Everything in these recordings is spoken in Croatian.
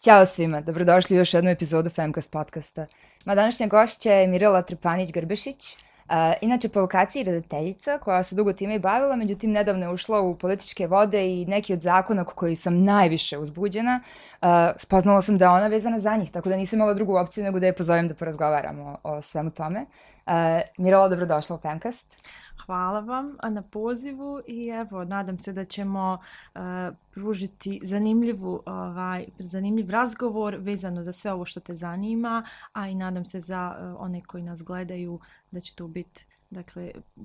Ćao svima, dobrodošli u još jednu epizodu Femcast podcasta. Moja današnja gošća je Mirela Trpanić-Grbešić, inače po vokaciji redateljica koja se dugo time i bavila, međutim nedavno je ušla u političke vode i neki od zakona oko koji sam najviše uzbuđena, spoznala sam da je ona vezana za njih, tako da nisam imala drugu opciju nego da je pozovem da porazgovaramo o svemu tome. Mirela, dobrodošla u Femcast. Hvala vam na pozivu i evo, nadam se da ćemo pružiti zanimljiv razgovor vezano za sve ovo što te zanima, a i nadam se za one koji nas gledaju da će to biti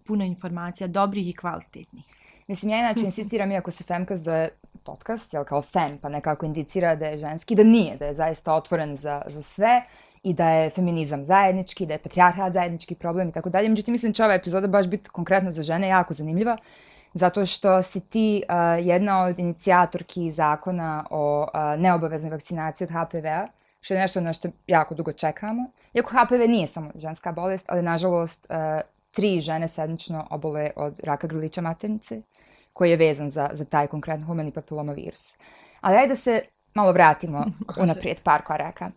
puno informacija, dobrih i kvalitetnih. Mislim, ja inače insistiram, iako se Femcast zove podcast, jel kao fem, pa nekako indicira da je ženski, da nije, da je zaista otvoren za sve i da je feminizam zajednički, da je patrijarhat zajednički problem i tako dalje. Međutim, mislim da će ova epizoda baš biti konkretno za žene jako zanimljiva, zato što si ti jedna od inicijatorki zakona o neobaveznoj vakcinaciji od HPV-a, što je nešto na što jako dugo čekamo. Iako HPV nije samo ženska bolest, ali nažalost 3 žene sedmično obole od raka grlića maternice, koji je vezan za taj konkretno humani papilomavirus. Ali ajde da se malo vratimo unaprijed par koraka.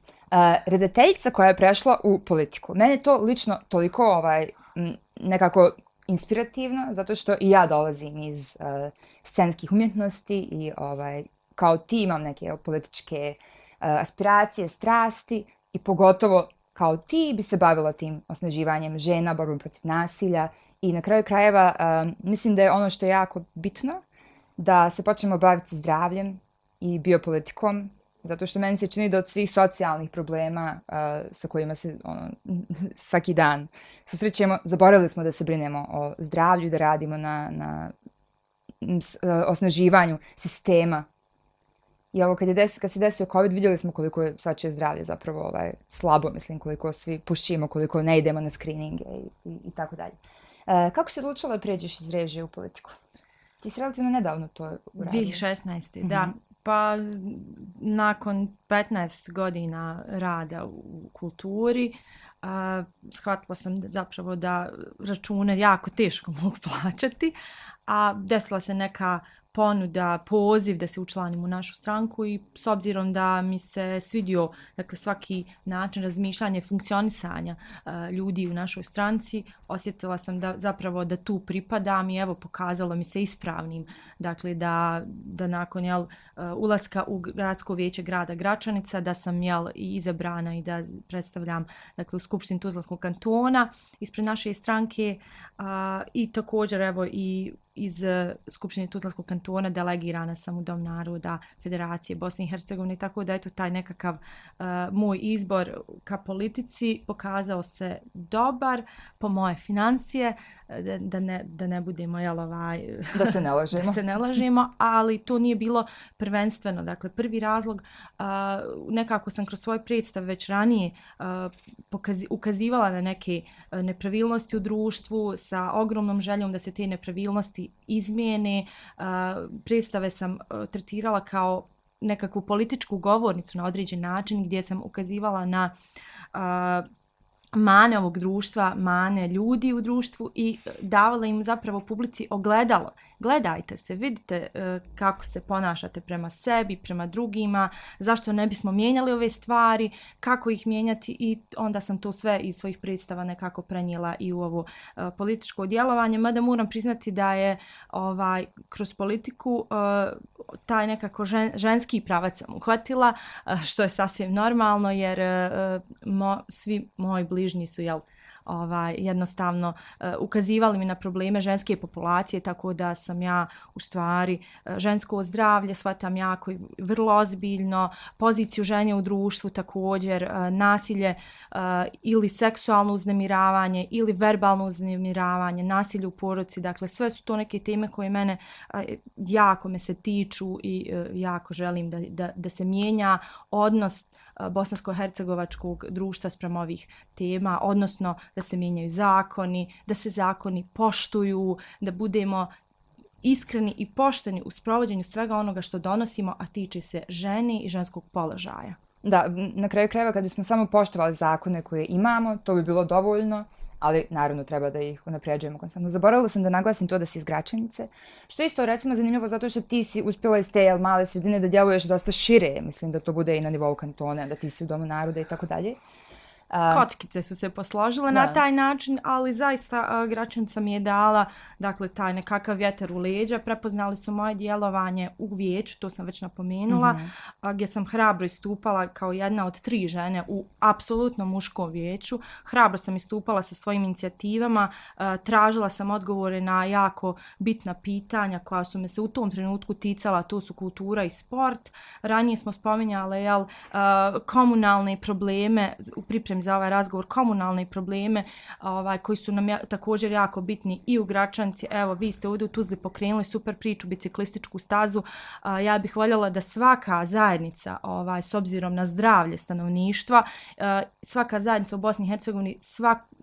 Redateljica koja je prešla u politiku. Mene to lično toliko nekako inspirativno, zato što i ja dolazim iz scenskih umjetnosti i kao ti imam neke političke aspiracije, strasti i pogotovo kao ti bi se bavila tim osnaživanjem žena, borbom protiv nasilja i na kraju krajeva mislim da je ono što je jako bitno da se počnemo baviti zdravljem i biopolitikom, zato što meni se čini da od svih socijalnih problema sa kojima se svaki dan susrećemo, zaboravili smo da se brinemo o zdravlju, da radimo na osnaživanju sistema. I ovo kad se desio COVID, vidjeli smo koliko je svačije zdravlje zapravo slabo, mislim, koliko svi pušimo, koliko ne idemo na screeninge i tako dalje. Kako si odlučila da pređeš iz režije u politiku? Ti si relativno nedavno to uradio. 2016. Da. Pa nakon 15 godina rada u kulturi shvatila sam zapravo da račune jako teško mogu plaćati, a desila se neka ponuda, poziv da se učlanim u našu stranku i s obzirom da mi se svidio svaki način razmišljanja i funkcionisanja ljudi u našoj stranci, osjetila sam da tu pripadam i evo pokazalo mi se ispravnim da nakon ulaska u gradsko vijeće grada Gračanica da sam i izabrana i da predstavljam u Skupštini Tuzlanskog kantona ispred naše stranke i također evo i iz Skupštine Tuzlanskog kantona delegirana sam u Dom naroda Federacije Bosne i Hercegovine, tako da taj nekakav moj izbor ka politici pokazao se dobar po moje financije, da ne budemo da se ne lažemo, ali to nije bilo prvenstveno. Dakle, prvi razlog, nekako sam kroz svoj predstav već ranije ukazivala na neke nepravilnosti u društvu sa ogromnom željom da se te nepravilnosti izmijene. Predstave sam tretirala kao nekakvu političku govornicu na određen način gdje sam ukazivala na mane ovog društva, mane ljudi u društvu i davala im zapravo publici ogledalo. Gledajte se, vidite kako se ponašate prema sebi, prema drugima, zašto ne bismo mijenjali ove stvari, kako ih mijenjati i onda sam to sve iz svojih predstava nekako prenijela i u ovo političko djelovanje. Mada moram priznati da je kroz politiku taj nekako ženski pravac sam uhvatila, što je sasvim normalno jer svi moji bližnji su jednostavno ukazivali mi na probleme ženske populacije, tako da sam ja u stvari žensko zdravlje shvatam jako i vrlo ozbiljno, poziciju žene u društvu također, nasilje ili seksualno uznemiravanje ili verbalno uznemiravanje, nasilje u porodici, dakle sve su to neke teme koje mene jako me se tiču i jako želim da se mijenja odnos bosansko-hercegovačkog društva spram ovih tema, odnosno da se mijenjaju zakoni, da se zakoni poštuju, da budemo iskreni i pošteni u sprovođenju svega onoga što donosimo, a tiče se žene i ženskog položaja. Da, na kraju krajeva kad bismo samo poštovali zakone koje imamo, to bi bilo dovoljno, ali naravno treba da ih unapređujemo konstantno. Zaboravila sam da naglasim to da si iz Gračanice, što je isto recimo zanimljivo zato što ti si uspjela iz te male sredine da djeluješ dosta šire, mislim da to bude i na nivou kantona, da ti si u Domu naroda i tako dalje. Kockice su se posložile na taj način, ali zaista Gračanica mi je dala, dakle, taj nekakav vjetar u leđa. Prepoznali su moje djelovanje u vijeću, to sam već napomenula, gdje sam hrabro istupala kao jedna od 3 žene u apsolutno muškom vijeću. Hrabro sam istupala sa svojim inicijativama, tražila sam odgovore na jako bitna pitanja koja su me se u tom trenutku ticala, to su kultura i sport. Ranije smo spominjali komunalne probleme u pripremi za ovaj razgovor, komunalne probleme koji su nam također jako bitni i u Gračanci. Evo, vi ste ovdje u Tuzli pokrenuli super priču, biciklističku stazu. Ja bih voljela da svaka zajednica, s obzirom na zdravlje stanovništva, svaka zajednica u Bosni i Hercegovini,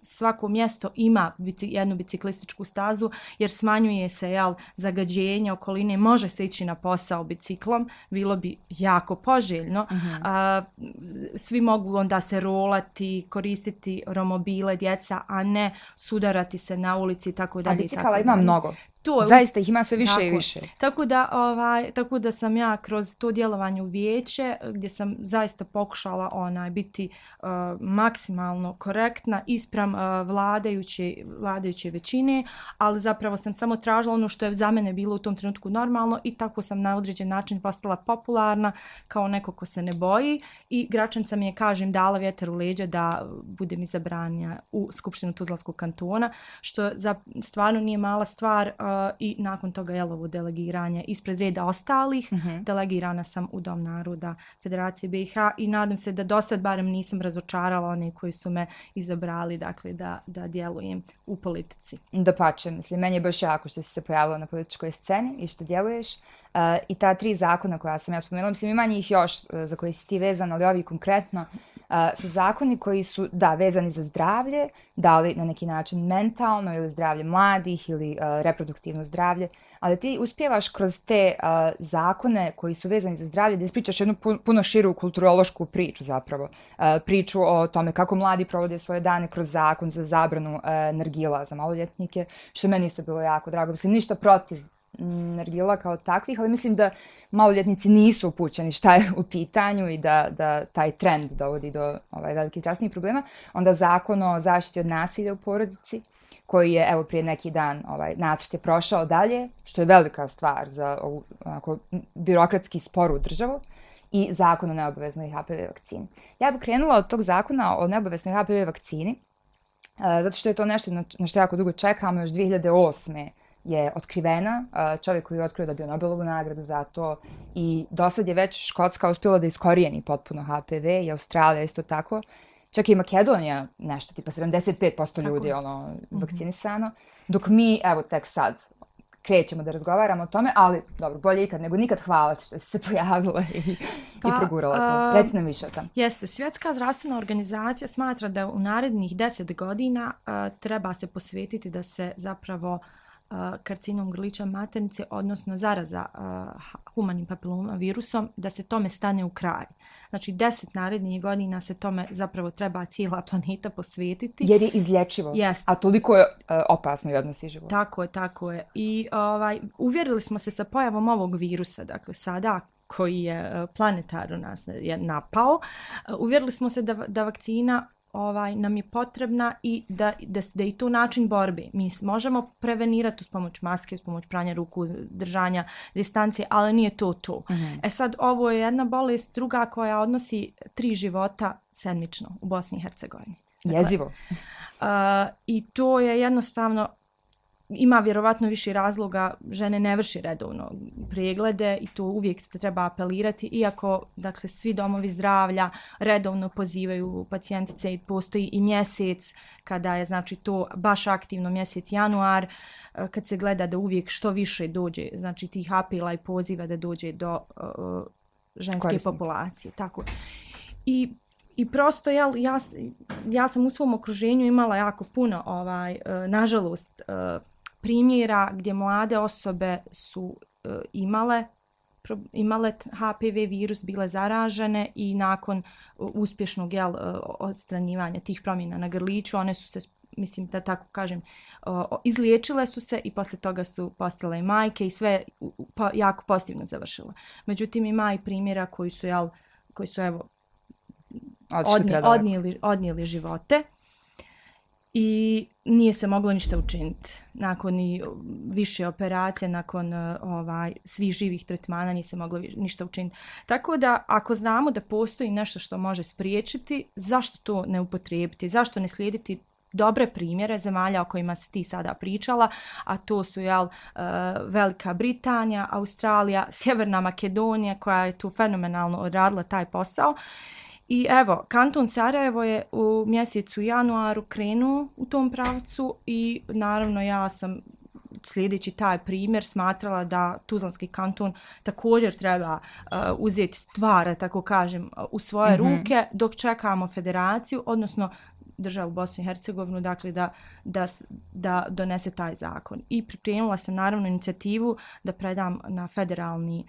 svako mjesto ima jednu biciklističku stazu, jer smanjuje se zagađenje okoline, može se ići na posao biciklom, bilo bi jako poželjno. Svi mogu onda se rolati, koristiti romobile djeca, a ne sudarati se na ulici i tako dalje. A bicikala ima mnogo. Zaista ih ima sve više i više. Tako da sam ja kroz to djelovanje u vijeće, gdje sam zaista pokušala biti maksimalno korektna ispram vladajuće većine, ali zapravo sam samo tražila ono što je za mene bilo u tom trenutku normalno i tako sam na određen način postala popularna kao neko ko se ne boji i Gračanca mi je, kažem, dala vjetar u leđa da budem izabrana u Skupštinu Tuzlanskog kantona, što stvarno nije mala stvar. I nakon toga ovo delegiranje ispred reda ostalih. Delegirana sam u Dom naroda Federacije BiH i nadam se da do sad barem nisam razočarala one koji su me izabrali, dakle, da djelujem u politici. Dapače, mislim, meni je baš jako što si se pojavila na političkoj sceni i što djeluješ. I ta 3 zakona koja sam ja spomenula, mislim, ima njih još za koje si ti vezan, ali ovi konkretno su zakoni koji su, vezani za zdravlje, da li na neki način mentalno ili zdravlje mladih ili reproduktivno zdravlje, ali ti uspijevaš kroz te zakone koji su vezani za zdravlje da ispričaš jednu puno širu kulturološku priču zapravo. Priču o tome kako mladi provode svoje dane kroz zakon za zabranu nargila za maloljetnike, što meni isto bilo jako drago. Mislim, ništa protiv nargila kao takvih, ali mislim da maloljetnici nisu upućeni šta je u pitanju i da taj trend dovodi do velikih zdravstvenih problema. Onda zakon o zaštiti od nasilja u porodici, koji je, evo, prije neki dan nacrt je prošao dalje, što je velika stvar za ovu birokratski sporu državu, i zakon o neobaveznoj HPV vakcini. Ja bih krenula od tog zakona o neobaveznoj HPV vakcini, zato što je to nešto na što jako dugo čekamo, još 2008. je otkrivena, čovjek koji je otkrio da je bio Nobelovu nagradu za to i do sad je već Škotska uspjela da iskorijeni potpuno HPV i Australija isto tako. Čak i Makedonija nešto, tipa 75% ljudi je vakcinisano, dok mi, evo, tek sad krećemo da razgovaramo o tome, ali dobro, bolje ikad nego nikad. Hvala što si se pojavila i progurala to. Reci nam više o tom. Jeste, Svjetska zdravstvena organizacija smatra da u narednih 10 godina treba se posvetiti da se zapravo karcinom grlića maternice, odnosno zaraza humanim papiloma virusom, da se tome stane u kraj. Znači 10 narednih godina se tome zapravo treba cijela planeta posvetiti. Jer je izlječivo, a toliko je opasno i odnosi život. Tako je. I uvjerili smo se sa pojavom ovog virusa, dakle sada koji je planetarno nas je napao, uvjerili smo se da vakcina nam je potrebna i da je i to način borbe. Mi možemo prevenirati uz pomoć maske, uz pomoć pranja ruku, držanja distancije, ali nije to. Sad, ovo je jedna bolest, druga koja odnosi 3 života sedmično u Bosni i Hercegovini. Jezivo. I to je jednostavno, ima vjerovatno više razloga, žene ne vrši redovno preglede i to uvijek se treba apelirati, iako, dakle, svi domovi zdravlja redovno pozivaju pacijentice i postoji i mjesec kada je, znači, to baš aktivno, mjesec januar, kad se gleda da uvijek što više dođe, znači, tih apela i poziva da dođe do ženske populacije. Tako. I prosto ja sam u svom okruženju imala jako puno, nažalost, primjera gdje mlade osobe su imale imale HPV virus, bile zaražene i nakon uspješnog odstranjivanja tih promjena na grliću, one su se, mislim da tako kažem, izliječile su se i poslije toga su postale i majke i sve jako pozitivno završilo. Međutim, ima i primjera koji su evo, odnijeli živote i nije se moglo ništa učiniti. Nakon i više operacija, nakon svih živih tretmana nije se moglo ništa učiniti. Tako da ako znamo da postoji nešto što može spriječiti, zašto to ne upotrijebiti? Zašto ne slijediti dobre primjere zemalja o kojima si ti sada pričala, a to su Velika Britanija, Australija, Sjeverna Makedonija koja je tu fenomenalno odradila taj posao. I evo, kanton Sarajevo je u mjesecu januaru krenuo u tom pravcu i naravno ja sam slijedeći taj primjer smatrala da Tuzlanski kanton također treba uzeti stvar, tako kažem, u svoje ruke dok čekamo federaciju, odnosno državu Bosnu i Hercegovinu, dakle da donese taj zakon. I pripremila sam naravno inicijativu da predam na federalni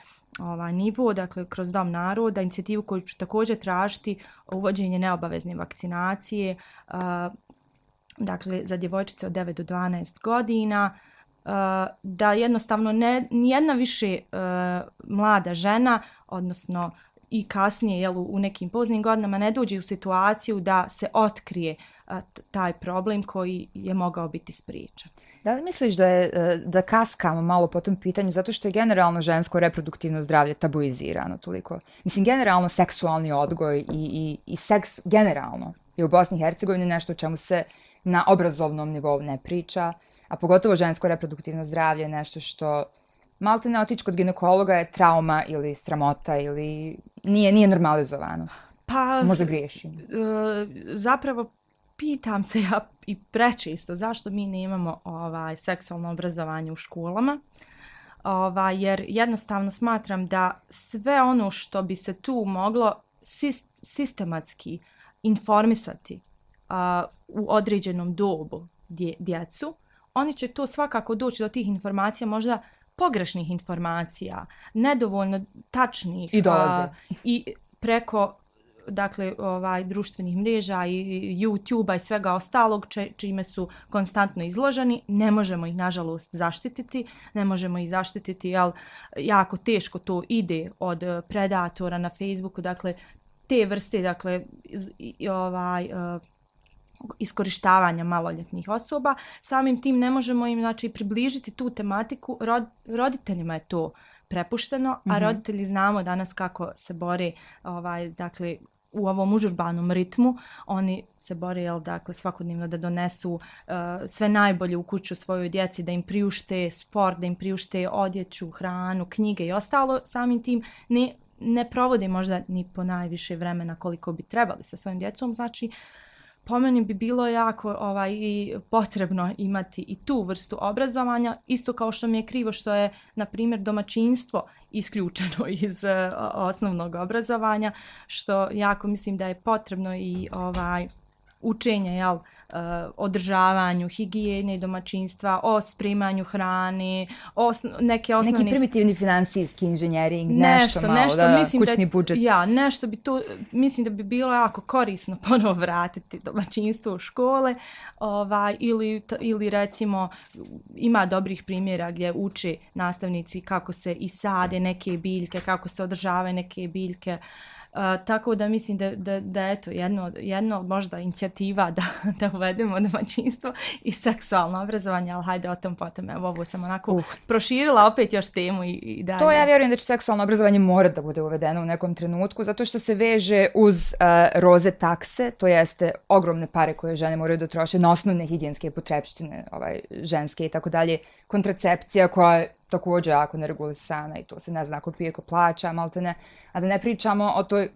nivo, dakle kroz Dom naroda, inicijativu koju ću također tražiti uvođenje neobavezne vakcinacije, dakle za djevojčice od 9 do 12 godina, da jednostavno nijedna više mlada žena, odnosno i kasnije u nekim poznim godinama ne dođe u situaciju da se otkrije taj problem koji je mogao biti spriječen. Da li misliš da kaskamo malo po tom pitanju zato što je generalno žensko reproduktivno zdravlje tabuizirano toliko? Mislim, generalno seksualni odgoj i seks generalno je u Bosni i Hercegovini nešto o čemu se na obrazovnom nivou ne priča, a pogotovo žensko reproduktivno zdravlje je nešto što malte ne otići kod ginekologa je trauma ili sramota ili nije normalizovano. Pa, možda griješim. Zapravo pitam se ja i prečesto zašto mi nemamo seksualno obrazovanje u školama. Jer jednostavno smatram da sve ono što bi se tu moglo sistematski informisati u određenom dobu djecu, oni će to svakako doći do tih informacija, možda pogrešnih informacija, nedovoljno tačnih i preko društvenih mreža i YouTube-a i svega ostalog čime su konstantno izloženi. Ne možemo ih nažalost zaštititi, jer jako teško to ide od predatora na Facebooku, dakle te vrste iskorištavanja maloljetnih osoba. Samim tim ne možemo im približiti tu tematiku. Roditeljima je to prepušteno, a roditelji znamo danas kako se bore u ovom užurbanom ritmu. Oni se bore svakodnevno da donesu sve najbolje u kuću svojoj djeci, da im priušte sport, da im priušte odjeću, hranu, knjige i ostalo. Samim tim ne provode možda ni po najviše vremena koliko bi trebali sa svojim djecom. Znači, po meni bi bilo jako i potrebno imati i tu vrstu obrazovanja, isto kao što mi je krivo što je, na primjer, domaćinstvo isključeno iz osnovnog obrazovanja, što jako mislim da je potrebno i učenje, održavanju higijene domaćinstva, o sprimanju hrane, neke osnovne... Neki primitivni finansijski inženjering, nešto malo, kućni budžet. Nešto bi to, mislim da bi bilo jako korisno ponovo vratiti domaćinstvo u škole, ili recimo ima dobrih primjera gdje uče nastavnici kako se isade neke biljke, kako se održavaju neke biljke. Tako da mislim da eto jedno možda inicijativa da uvedemo domaćinstvo i seksualno obrazovanje, ali hajde o tom potom. Evo, ovo sam onako proširila opet još temu i dalje. To ja vjerujem da će seksualno obrazovanje mora da bude uvedeno u nekom trenutku, zato što se veže uz roze takse, to jeste ogromne pare koje žene moraju da troše na osnovne higijenske potrepštine, ženske i tako dalje, kontracepcija koja je također jako neregulisana i to se ne zna ko pije, ko plaća, maltene, a da ne pričamo o toj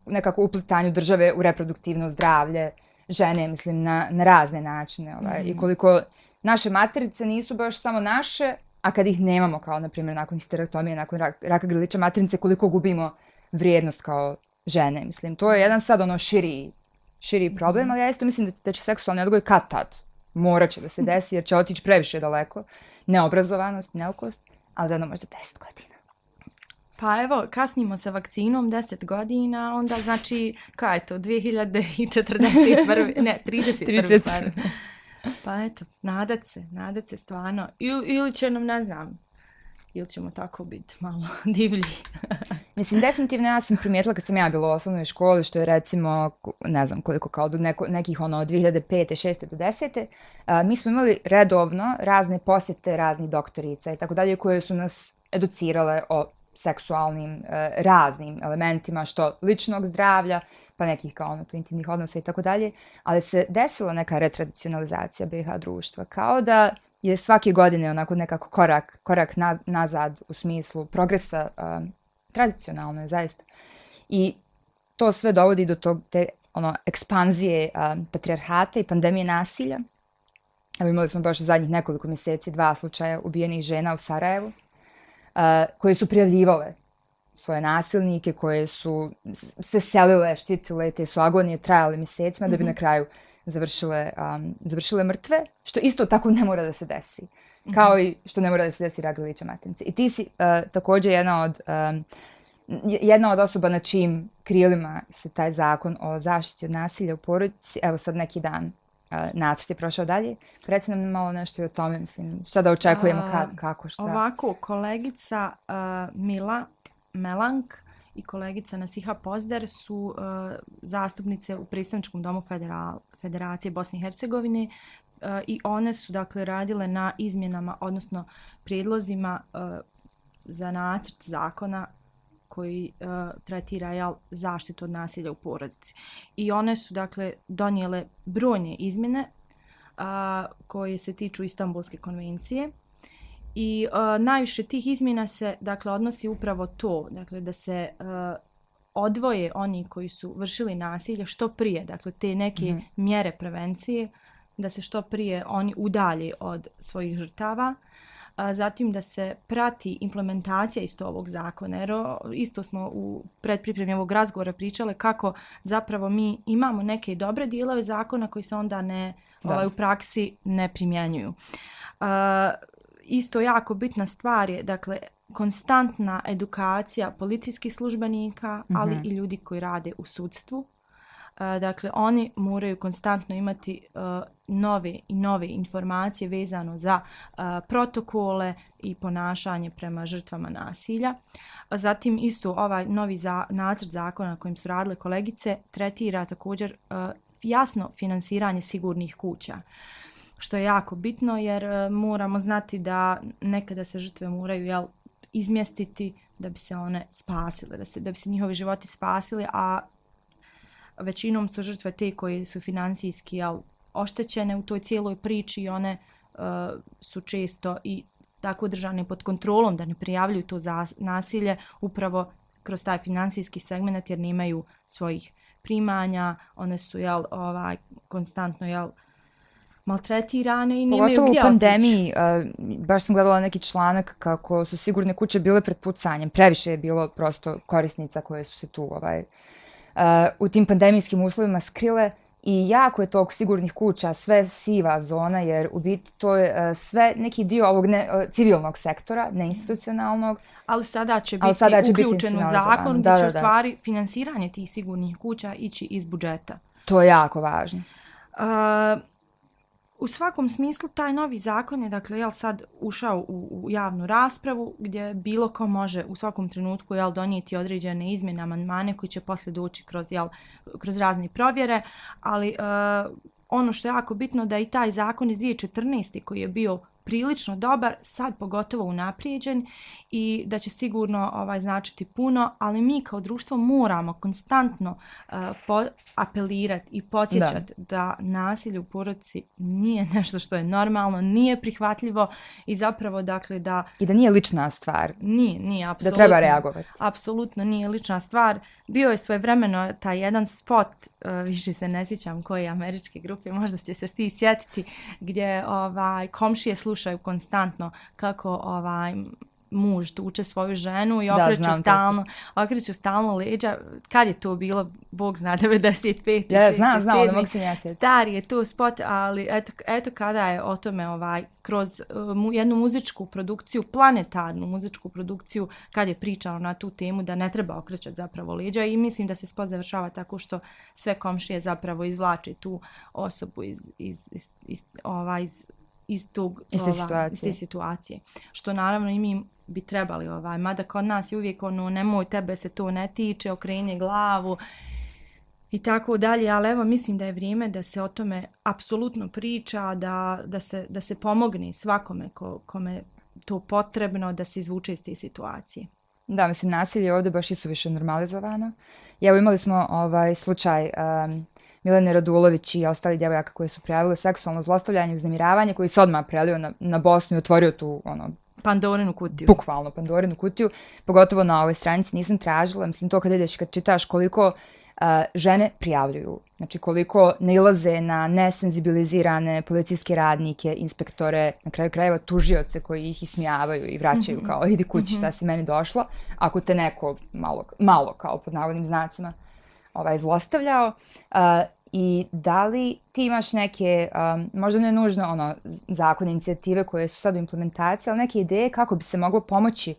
nekako uplitanju države u reproduktivno zdravlje žene, mislim, na razne načine. I koliko naše materice nisu baš samo naše, a kad ih nemamo, kao na primjer nakon histerektomije, nakon raka grlića maternice, koliko gubimo vrijednost kao žene, mislim. To je jedan sad širi problem, ali ja isto mislim da će seksualni odgoj kad-tad morat će da se desi, jer će otići previše daleko. Neobrazovanost, neukost, ali za jedno možda 10 godina. Pa evo, kasnimo sa vakcinom 10 godina, onda znači, kaj je to, 2041. Ne, 31. Pa eto, nadat se stvarno. Ili će nam, ne znam, ili ćemo tako biti malo divlji. Mislim, definitivno ja sam primijetila kad sam ja bila u osnovnoj školi, što je recimo, ne znam koliko, kao do nekih od 2005. 6. do 10. Mi smo imali redovno razne posjete raznih doktorica i tako dalje, koje su nas educirale o seksualnim raznim elementima, što ličnog zdravlja, pa nekih kao intimnih odnosa i tako dalje, ali se desila neka retradicionalizacija BiH društva, kao da je svake godine onako nekako korak nazad u smislu progresa, tradicionalno je zaista. I to sve dovodi do te ekspanzije patrijarhata i pandemije nasilja. Evo, imali smo baš u zadnjih nekoliko mjeseci 2 slučaja ubijenih žena u Sarajevu, koje su prijavljivale svoje nasilnike, koje su se selile, štitile, te su agonije trajale mjesecima da bi na kraju završile mrtve, što isto tako ne mora da se desi. Kao i što ne mora da se desi Ragrilića Matinice. I ti si također jedna od osoba na čijim krilima se taj zakon o zaštiti od nasilja u porodici, evo sad neki dan nacrt je prošao dalje. Reci nam malo nešto i o tome, mislim, šta da očekujemo, kako, šta. Ovako, kolegica Mila Melank i kolegica Nasiha Pozder su zastupnice u predstavničkom domu Federacije Bosne i Hercegovine i one su dakle radile na izmjenama, odnosno prijedlozima za nacrt zakona koji tretira zaštitu od nasilja u porodici. I one su dakle donijele brojne izmjene koje se tiču Istanbulske konvencije. I najviše tih izmjena se dakle odnosi upravo to, dakle da se odvoje oni koji su vršili nasilje što prije, dakle te neke mjere prevencije, da se što prije oni udalje od svojih žrtava. Zatim da se prati implementacija isto ovog zakona, jer isto smo u predpripremi ovog razgovora pričale kako zapravo mi imamo neke dobre dijelove zakona koji se onda u praksi ne primjenjuju. Isto jako bitna stvar je, dakle, konstantna edukacija policijskih službenika, ali i ljudi koji rade u sudstvu. Dakle, oni moraju konstantno imati nove informacije vezano za protokole i ponašanje prema žrtvama nasilja. Zatim isto ovaj novi nacrt zakona na kojim su radile kolegice tretira također jasno finansiranje sigurnih kuća. Što je jako bitno jer moramo znati da nekada se žrtve moraju izmjestiti da bi se one spasile, da bi se njihovi životi spasili, a većinom su žrtve te koje su financijski oštećene u toj cijeloj priči i one su često i tako držane pod kontrolom da ne prijavljuju to nasilje upravo kroz taj financijski segment jer nemaju svojih primanja, one su konstantno maltretirane i nemaju gdje otići. Pogotovo u pandemiji, baš sam gledala neki članak kako su sigurne kuće bile pred pucanjem. Previše je bilo prosto korisnica koje su se tu u tim pandemijskim uslovima skrile i jako je tog sigurnih kuća sve siva zona jer u biti to je sve neki dio ovog civilnog sektora, neinstitucionalnog. Ali sada će biti uključen u zakon da će u stvari finansiranje tih sigurnih kuća ići iz budžeta. To je jako važno. U svakom smislu taj novi zakon je dakle sad ušao u javnu raspravu gdje bilo ko može u svakom trenutku donijeti određene izmjene, amandmane koji će poslije doći kroz razne provjere, ali ono što je jako bitno da i taj zakon iz 2014. koji je bio prilično dobar, sad pogotovo unaprijeđen i da će sigurno značiti puno, ali mi kao društvo moramo konstantno apelirati i podsjećati da nasilje u porodici nije nešto što je normalno, nije prihvatljivo i zapravo dakle da... I da nije lična stvar. Nije, apsolutno. Da treba reagovati. Apsolutno nije lična stvar. Bio je svojevremeno taj jedan spot, više se ne sjećam koje američke grupe, možda će se ti sjetiti, gdje komšije slušaju konstantno kako muž tuče svoju ženu i Da, znam to. okreću stalno leđa. Kad je to bilo? Bog zna, 95. Ja, 6. znam, ne 7. mogu se ja sjetiti. Stari je to spot, ali eto kada je o tome kroz jednu muzičku produkciju, planetarnu muzičku produkciju, kad je pričao na tu temu da ne treba okrećati zapravo leđa i mislim da se spot završava tako što sve komšije zapravo izvlače tu osobu iz te situacije. Što naravno i mi bi trebali, mada kod nas je uvijek nemoj, tebe se to ne tiče, okreni glavu i tako dalje, ali evo mislim da je vrijeme da se o tome apsolutno priča, da se pomogne svakome kome to potrebno, da se izvuče iz te situacije. Da, mislim, nasilje ovdje baš isuviše normalizovano. I evo imali smo slučaj Milene Radulović i ostali djevojaka koje su prijavile seksualno zlostavljanje i uznemiravanje, koji se odmah prelio na Bosnu i otvorio tu Pandorinu kutiju. Bukvalno Pandorinu kutiju, pogotovo na ovoj stranici nisam tražila. Mislim, to kad ideš, kad čitaš koliko žene prijavljuju, znači koliko nailaze na nesenzibilizirane policijske radnike, inspektore, na kraju krajeva tužioce koji ih ismijavaju i vraćaju kao idi kući šta si meni došla, ako te neko malo kao pod navodnim znacima zlostavljao. I da li ti imaš neke, možda ne nužno zakone, inicijative koje su sad u implementaciji, ali neke ideje kako bi se moglo pomoći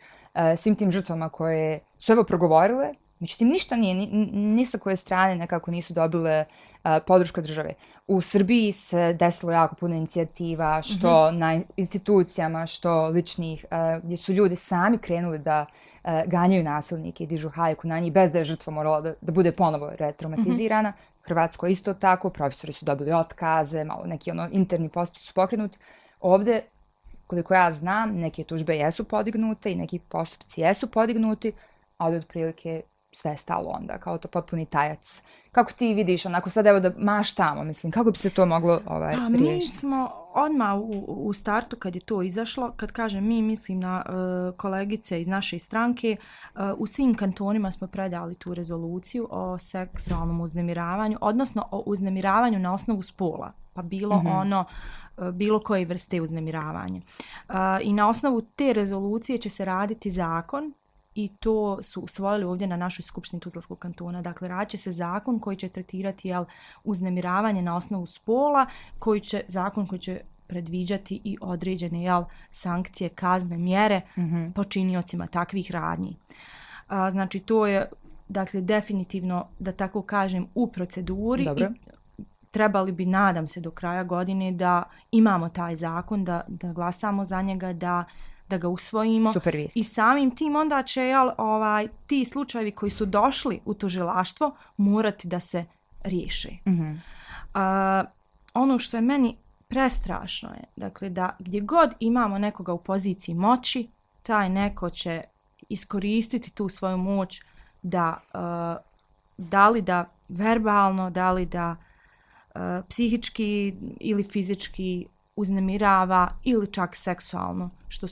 svim tim žrtvama koje su evo progovorile, međutim ništa nije, ni sa koje strane nekako nisu dobile podršku države. U Srbiji se desilo jako puno inicijativa, što na institucijama, što ličnih, gdje su ljudi sami krenuli da ganjaju nasilnike i dižu hajku na njih, bez da je žrtva morala da bude ponovo retraumatizirana. Hrvatsko isto tako, profesori su dobili otkaze, malo neki interni postupci su pokrenuti. Ovdje, koliko ja znam, neke tužbe jesu podignute i neki postupci jesu podignuti, ali otprilike sve je stalo onda, kao to potpuni tajac. Kako ti vidiš, onako sad evo da maštamo, mislim, kako bi se to moglo riješiti? Mi smo odmah u startu kad je to izašlo, kad kažem mi, mislim na kolegice iz naše stranke, u svim kantonima smo predali tu rezoluciju o seksualnom uznemiravanju, odnosno o uznemiravanju na osnovu spola, pa bilo bilo koje vrste uznemiravanja. I na osnovu te rezolucije će se raditi zakon i to su usvojili ovdje na našoj skupštini Tuzlanskog kantona. Dakle, radit će se zakon koji će tretirati uznemiravanje na osnovu spola, zakon koji će predviđati i određene sankcije, kazne, mjere počiniocima takvih radnji. Znači, to je definitivno, da tako kažem, u proceduri. Dobro. I trebali bi, nadam se, do kraja godine da imamo taj zakon, da glasamo za njega, da ga usvojimo. I samim tim onda će ti slučajevi koji su došli u tužilaštvo morati da se riješe. Ono što je meni prestrašno je, dakle, da gdje god imamo nekoga u poziciji moći, taj neko će iskoristiti tu svoju moć da li da verbalno, da li da psihički ili fizički uznemirava ili čak seksualno, što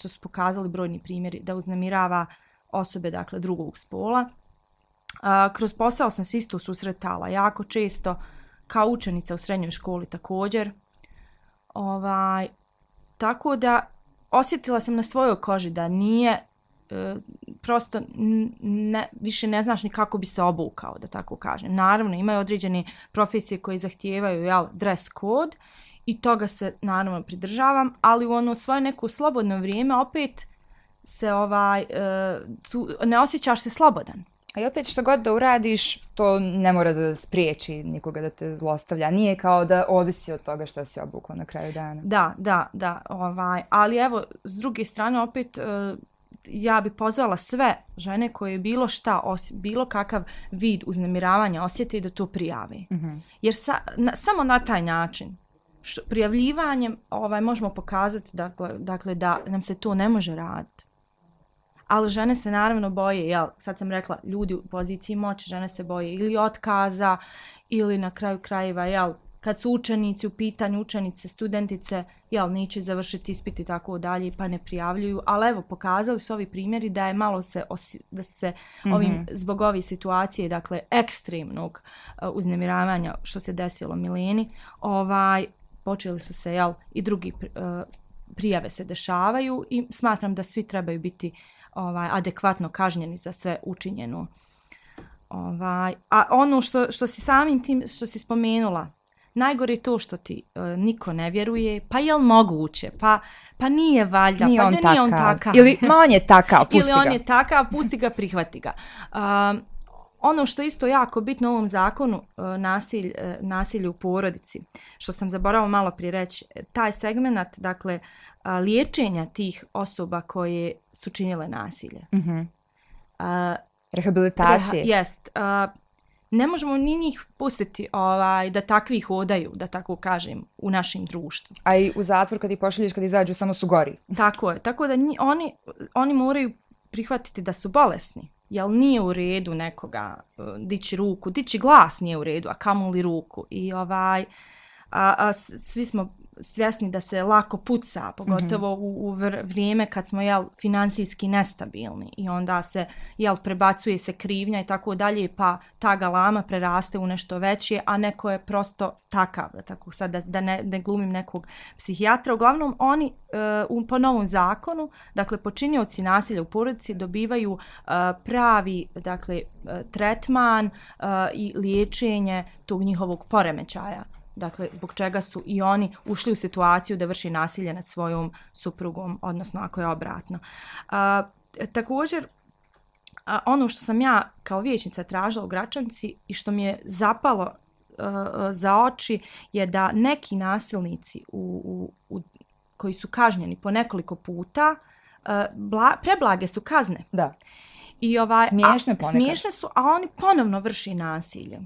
su pokazali brojni primjeri, da uznemirava osobe, dakle, drugog spola. Kroz posao sam se isto susretala jako često, kao učenica u srednjoj školi također. Tako da osjetila sam na svojoj koži da nije, prosto više ne znaš ni kako bi se obukao, da tako kažem. Naravno, imaju određene profesije koje zahtijevaju dress code, i toga se naravno pridržavam, ali u svoje neko slobodno vrijeme opet se ne osjećaš se slobodan. A i opet što god da uradiš, to ne mora da spriječi nikoga da te zlostavlja. Nije kao da ovisi od toga što si obukla na kraju dana. Da. Ali evo, s druge strane opet ja bi pozvala sve žene koje bilo kakav vid uznemiravanja osjete i da to prijave. Jer samo na taj način prijavljivanjem možemo pokazati dakle, da nam se to ne može raditi. Ali žene se naravno boje, sad sam rekla, ljudi u poziciji moći, žene se boje ili otkaza ili na kraju krajeva, kad su učenici u pitanju, učenice, studentice, neće završiti ispit i tako dalje, pa ne prijavljuju. Ali evo, pokazali su ovi primjeri da je malo da su se zbog ove situacije, dakle, ekstremnog uznemiravanja što se desilo Mileni, počeli su se i drugi prijave se dešavaju i smatram da svi trebaju biti adekvatno kažnjeni za sve učinjeno. A ono što si samim tim, što si spomenula, najgore je to što ti niko ne vjeruje, pa je li moguće, pa nije valjda, nije pa on nije on takav. Ili on je takav, pusti ga. Ili on je takav, pusti ga, prihvati ga. Ono što je isto jako bitno u ovom zakonu, nasilje u porodici, što sam zaboravila malo prije reći, taj segment, dakle, liječenja tih osoba koje su činile nasilje. Mm-hmm. Rehabilitacije. Jest. Ne možemo ni njih pustiti da takvi hodaju, da tako kažem, u našem društvu. A i u zatvor kad ih pošalješ, kad izađu, samo su gori. Tako je. Tako da oni moraju prihvatiti da su bolesni. Jel nije u redu nekoga dići ruku, dići glas nije u redu, a kamoli ruku. I svi smo svjesni da se lako puca, pogotovo u vrijeme kad smo financijski nestabilni i onda se prebacuje se krivnja i tako dalje, pa ta galama preraste u nešto veće, a neko je prosto takav, tako sad da ne glumim nekog psihijatra. Uglavnom oni po novom zakonu, dakle počinioci nasilja u porodici dobivaju pravi, dakle, tretman i liječenje tog njihovog poremećaja. Dakle, zbog čega su i oni ušli u situaciju da vrši nasilje nad svojom suprugom, odnosno ako je obratno. Također, ono što sam ja kao vijećnica tražila u Gračanici i što mi je zapalo za oči je da neki nasilnici koji su kažnjeni po nekoliko puta, preblage su kazne. Da. I smiješne ponekad. Smiješne su, a oni ponovno vrši nasilje.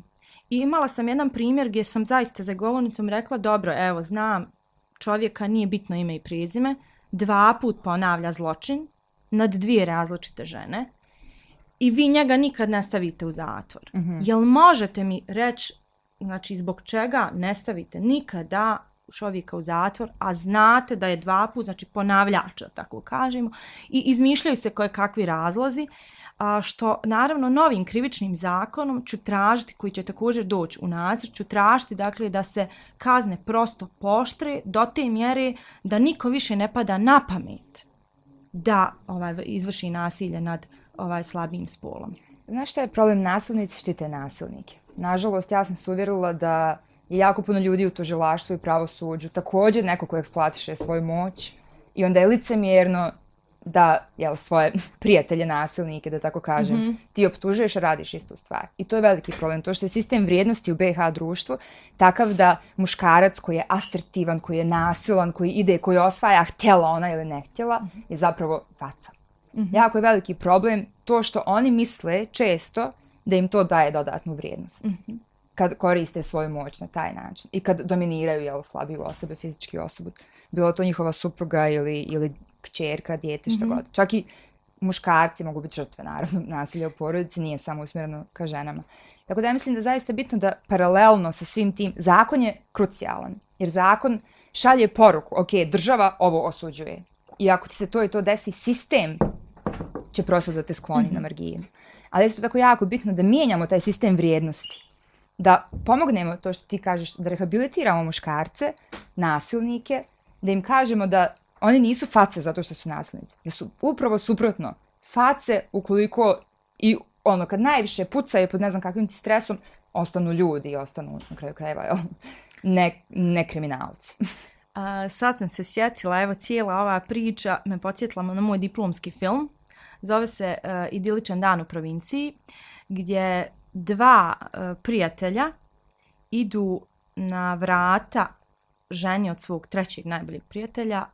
I imala sam jedan primjer gdje sam zaista za govornicom rekla, dobro, evo, znam, čovjeka nije bitno ime i prezime, 2 puta ponavlja zločin nad 2 različite žene i vi njega nikad ne stavite u zatvor. Mm-hmm. Jel možete mi reći, znači, zbog čega ne stavite nikada čovjeka u zatvor, a znate da je 2 puta, znači ponavljač, tako kažemo, i izmišljaju se koje kakvi razlozi, što naravno novim krivičnim zakonom ću tražiti, koji će također doći u nacrt, ću tražiti, dakle, da se kazne prosto pooštre do te mjere da niko više ne pada na pamet da izvrši nasilje nad slabijim spolom. Znaš što je problem? Nasilnici štite nasilnike. Nažalost, ja sam se uvjerila da je jako puno ljudi u tužilaštvu i pravosuđu također neko ko eksploatiše svoju moć i onda je licemjerno da svoje prijatelje nasilnike, da tako kažem, ti optužuješ, a radiš istu stvar. I to je veliki problem. To što je sistem vrijednosti u BiH društvu takav da muškarac koji je asertivan, koji je nasilan, koji ide, koji osvaja, htjela ona ili ne htjela, je zapravo faca. Jako je veliki problem to što oni misle često da im to daje dodatnu vrijednost. Kad koriste svoju moć na taj način i kad dominiraju slabiju osobe, fizički osobu. Bilo to njihova supruga ili kćerka, dijete, što god. Čak i muškarci mogu biti žrtve, naravno, nasilja u porodici, nije samo usmjereno ka ženama. Tako da ja mislim da je zaista bitno da paralelno sa svim tim, zakon je krucijalan, jer zakon šalje poruku, ok, država ovo osuđuje. I ako ti se to i to desi, sistem će prosto da te skloni na marginu. Ali je isto tako jako bitno da mijenjamo taj sistem vrijednosti. Da pomognemo, to što ti kažeš, da rehabilitiramo muškarce, nasilnike, da im kažemo da oni nisu face zato što su nasilnici. Da su upravo suprotno face ukoliko i kad najviše pucaju pod ne znam kakvim ti stresom, ostanu ljudi i ostanu na kraju krajeva ne kriminalci. Sad sam se sjetila, evo cijela ova priča me podsjetila na moj diplomski film. Zove se Idiličan dan u provinciji, gdje 2 prijatelja idu na vrata ženi od svog 3. najboljeg prijatelja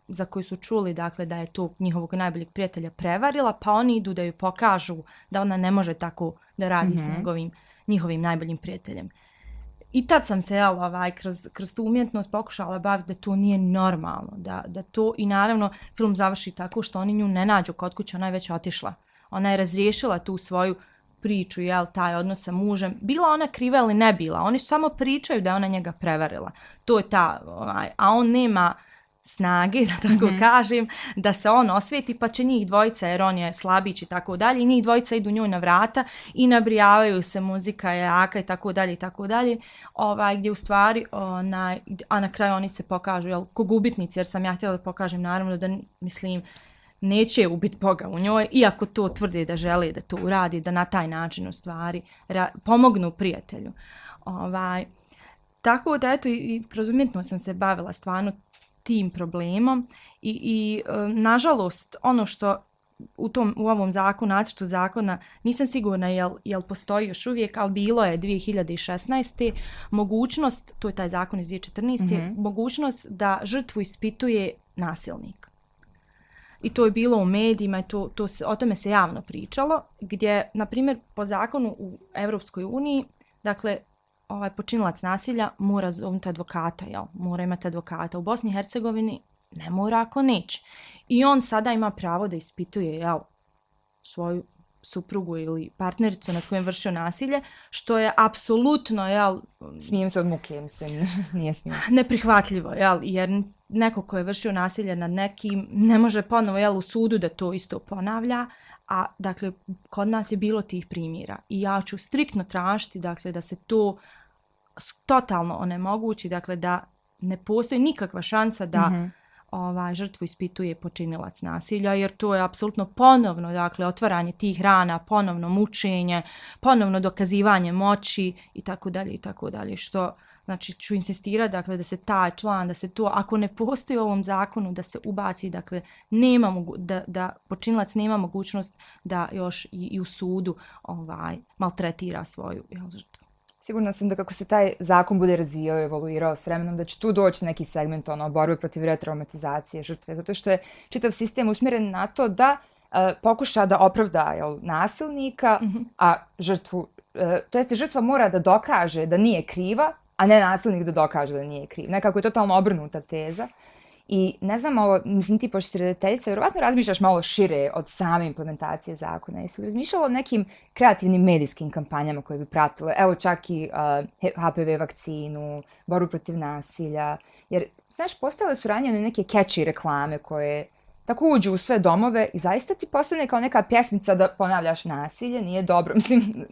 za koju su čuli, dakle, da je to njihovog najboljeg prijatelja prevarila, pa oni idu da ju pokažu da ona ne može tako da radi s njihovim najboljim prijateljem. I tad sam se kroz tu umjetnost pokušala baviti da to nije normalno, da to, i naravno film završi tako što oni nju ne nađu kod kuće, ona je već otišla. Ona je razriješila tu svoju priču, taj odnos sa mužem. Bila ona kriva ili ne bila, oni samo pričaju da je ona njega prevarila. To je ta, a on nema snage, da tako kažem, da se on osvijeti, pa će njih dvojica, jer on je slabić i tako dalje, i njih dvojica idu njoj na vrata i nabrijavaju se, muzika je jaka i tako dalje, gdje u stvari, a na kraju oni se pokažu, jel, ko gubitnici, jer sam ja htjela da pokažem, naravno, da, mislim, neće ubiti Boga u njoj, iako to tvrde da žele da to uradi, da na taj način u stvari pomognu prijatelju. Tako da, eto, i kroz umjetnost sam se bavila stvarno tim problemom i nažalost, ono što u ovom zakonu, nacrtu zakona, nisam sigurna jel postoji još uvijek, ali bilo je 2016. mogućnost, to je taj zakon iz 2014. Mogućnost da žrtvu ispituje nasilnik. I to je bilo u medijima, o tome se javno pričalo, gdje, na primjer, po zakonu u Europskoj uniji, dakle, počinilac nasilja mora zovnuti advokata, mora imati advokata. U Bosni i Hercegovini ne mora ako neće. I on sada ima pravo da ispituje svoju suprugu ili partnericu nad kojom vršio nasilje, što je apsolutno, smijem se od muke, mislim, nije smiješno. Neprihvatljivo, jer neko ko je vršio nasilje nad nekim ne može ponovo, u sudu da to isto ponavlja, a dakle, kod nas je bilo tih primjera. I ja ću striktno tražiti, dakle, da se to totalno onemogući, dakle, da ne postoji nikakva šansa da žrtvu ispituje počinilac nasilja, jer to je apsolutno ponovno, dakle, otvaranje tih rana, ponovno mučenje, ponovno dokazivanje moći i tako dalje, što, znači, ću insistirati, dakle, da se taj član, da se to, ako ne postoji u ovom zakonu, da se ubaci, dakle, da počinilac nema mogućnost da još i u sudu maltretira svoju žrtvu. Sigurna sam da kako se taj zakon bude razvijao i evoluirao s vremenom, da će tu doći neki segment borbe protiv retraumatizacije žrtve, zato što je čitav sistem usmjeren na to da pokuša da opravda nasilnika, a žrtvu, to jeste žrtva mora da dokaže da nije kriva, a ne nasilnik da dokaže da nije kriv. Nekako je totalno obrnuta teza. I ne znam, mislim, ti pošto si redateljica, vjerovatno razmišljaš malo šire od same implementacije zakona. Jesi li razmišljala o nekim kreativnim medijskim kampanjama koje bi pratile? Evo čak i HPV vakcinu, borbu protiv nasilja. Jer, znaš, postale su ranjene neke catchy reklame koje tako uđu u sve domove i zaista ti postane kao neka pjesmica da ponavljaš nasilje. Nije dobro. Mislim,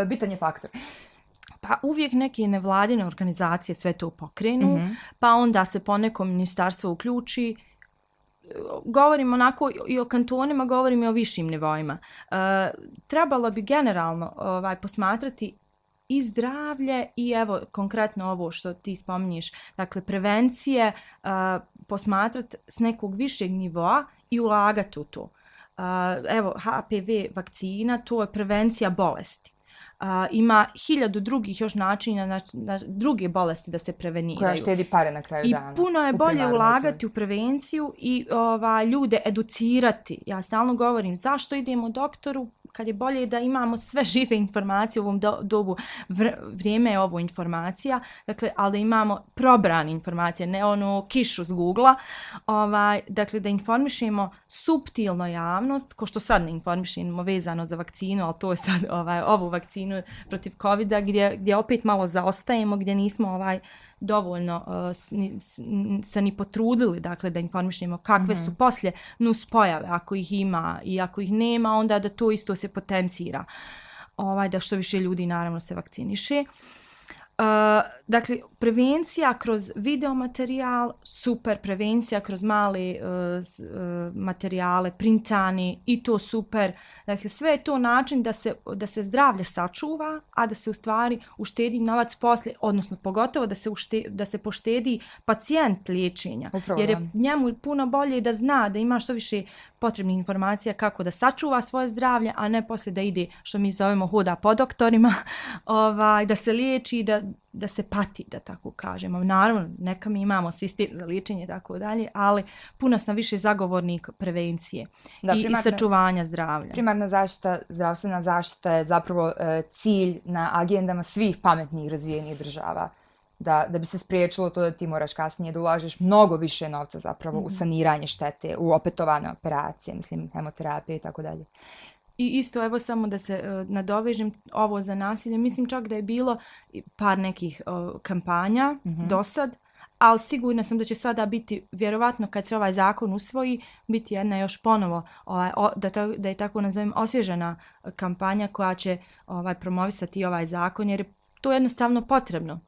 bitan je faktor. Pa uvijek neke nevladine organizacije sve to pokrenu, pa onda se poneko ministarstvo uključi. Govorim onako i o kantonima, govorim i o višim nivoima. Trebalo bi generalno posmatrati i zdravlje i evo konkretno ovo što ti spominješ, dakle prevencije, posmatrati s nekog višeg nivoa i ulagati u to. Evo HPV vakcina, to je prevencija bolesti. Ima 1000 drugih još načina na druge bolesti da se preveniraju. Koja štedi pare na kraju dana. I puno je bolje ulagati u prevenciju i ljude educirati. Ja stalno govorim zašto idemo doktoru kad je bolje da imamo sve žive informacije u ovom dobu. Vrijeme je ovo informacija, dakle, ali da imamo probrane informacije, ne onu kišu s Google-a. Dakle, da informišemo suptilno javnost, ko što sad ne informišemo vezano za vakcinu, ali to je sad ovu vakcinu protiv COVID-a gdje opet malo zaostajemo, gdje nismo dovoljno se ni potrudili, dakle, da informišemo kakve su poslije nuspojave, ako ih ima i ako ih nema, onda da to isto se potencira, da što više ljudi naravno se vakciniše. Dakle, prevencija kroz videomaterijal, super, prevencija kroz male materijale, printani i to super. Dakle, sve je to način da se zdravlje sačuva, a da se u stvari uštedi novac poslije, odnosno pogotovo da se poštedi pacijent liječenja. Upravo, jer je njemu puno bolje da zna da ima što više potrebnih informacija kako da sačuva svoje zdravlje, a ne poslije da ide, što mi zovemo, hoda po doktorima, da se liječi, da se pati, da tako kažemo. Naravno, neka mi imamo sistem za liječenje i tako dalje, ali puno sam više zagovornik prevencije i sačuvanja zdravlja. Primarna zaštita, zdravstvena zaštita je zapravo cilj na agendama svih pametnih razvijenih država. Da bi se spriječilo to da ti moraš kasnije da ulažeš mnogo više novca zapravo u saniranje štete, u opetovane operacije, mislim, hemoterapije i tako dalje. I isto, evo samo da se nadovežem ovo za nasilje, mislim čak da je bilo par nekih kampanja do sad, ali sigurna sam da će sada biti, vjerovatno kad se ovaj zakon usvoji, biti jedna još ponovo, da je tako nazovem, osvježena kampanja koja će promovisati ovaj zakon, jer je to jednostavno potrebno.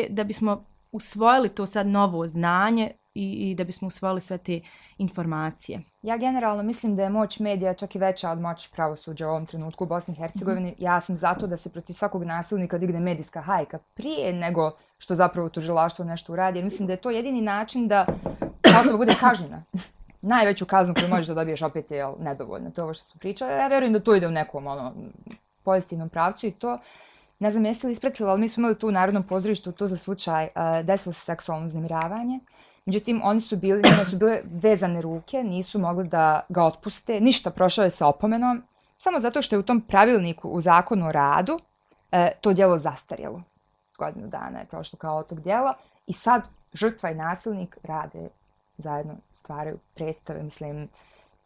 Da bismo usvojili to sad novo znanje i da bismo usvojili sve te informacije. Ja generalno mislim da je moć medija čak i veća od moći pravosuđa u ovom trenutku u Bosni i Hercegovini. Ja sam zato da se protiv svakog nasilnika digne medijska hajka prije nego što zapravo tužilaštvo nešto uradi. Jer mislim da je to jedini način da osoba bude kažnjena. Najveću kaznu koju možeš da dobiješ opet je nedovoljna. To je ovo što smo pričali. Ja vjerujem da to ide u nekom pozitivnom pravcu i to. Ne znam jesi li ispratila, ali mi smo imali tu u Narodnom pozorištu to za slučaj desilo se seksualno uznemiravanje. Međutim, njima su bile vezane ruke, nisu mogli da ga otpuste, ništa, prošao je sa opomenom, samo zato što je u tom pravilniku u zakonu o radu to djelo zastarjelo. Godinu dana je prošlo kao od tog djela i sad žrtva i nasilnik rade zajedno, stvaraju predstave, mislim,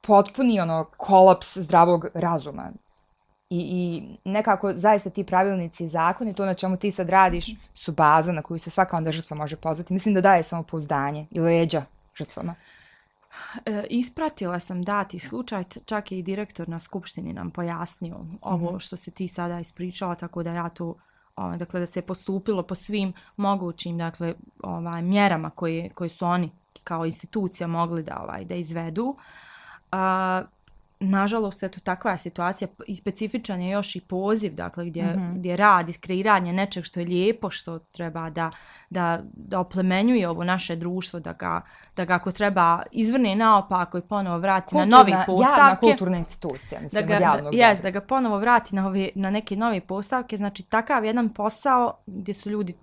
potpuni kolaps zdravog razuma. I nekako zaista ti pravilnici i zakoni, to na čemu ti sad radiš, su baza na koju se svaka onda žrtva može pozvati. Mislim da daje samopouzdanje i leđa žrtvama. Ispratila sam dati slučaj, čak je i direktor na skupštini nam pojasnio ovo što se ti sada ispričala, tako da ja to, dakle da se je postupilo po svim mogućim mjerama koje su oni kao institucija mogli da izvedu. Nažalost, eto, takva je situacija i specifičan je još i poziv, dakle, gdje rad, iskreiranje nečeg što je lijepo, što treba da oplemenjuje ovo naše društvo, da ga ako treba izvrne naopako i ponovo vrati na nove postavke. Javna kulturna institucija, mislim, od javnog dobra. Da ga ponovo vrati na neke nove postavke. Znači, takav jedan posao gdje su ljudi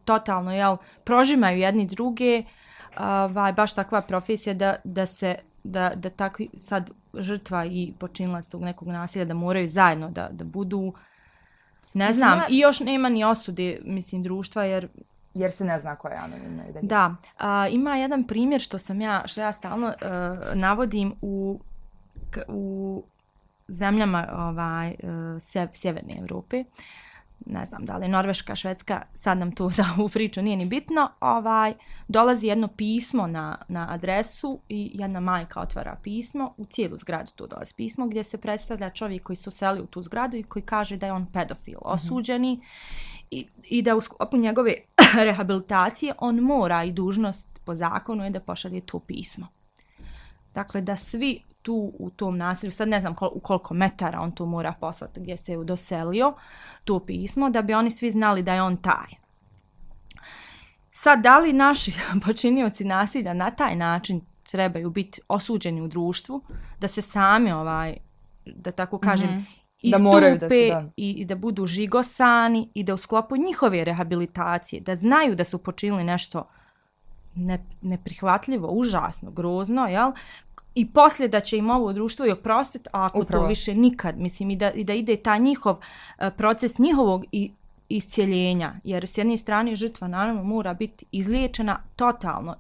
totalno, prožimaju jedni druge, baš takva profesija da takvi sad žrtva i počinilac tog nekog nasilja da moraju zajedno da budu, ne znam, i još nema ni osude, mislim, društva, jer se ne zna ko je anonimno. Da, ima jedan primjer što ja stalno navodim u zemljama sjeverne Europe. Ne znam da li Norveška, Švedska, sad nam to za ovu priču nije ni bitno, dolazi jedno pismo na adresu i jedna majka otvara pismo, u cijelu zgradu tu dolazi pismo gdje se predstavlja čovjek koji se uselio u tu zgradu i koji kaže da je on pedofil, osuđeni i da u sklopu njegove rehabilitacije on mora i dužnost po zakonu je da pošalje to pismo. Dakle, da svi tu u tom naselju, sad ne znam u koliko metara on tu mora poslati gdje se je doselio, to pismo, da bi oni svi znali da je on taj. Sad, da li naši počinioci nasilja na taj način trebaju biti osuđeni u društvu, da se sami, da tako kažem, istupe i da budu žigosani i da u sklopu njihove rehabilitacije, da znaju da su počinili nešto neprihvatljivo, užasno, grozno, jel? I poslije da će im ovo društvo i oprostiti, a ako to više nikad, mislim, i da ide taj njihov proces njihovog iscijeljenja, jer s jedne strane žrtva naravno mora biti izliječena totalno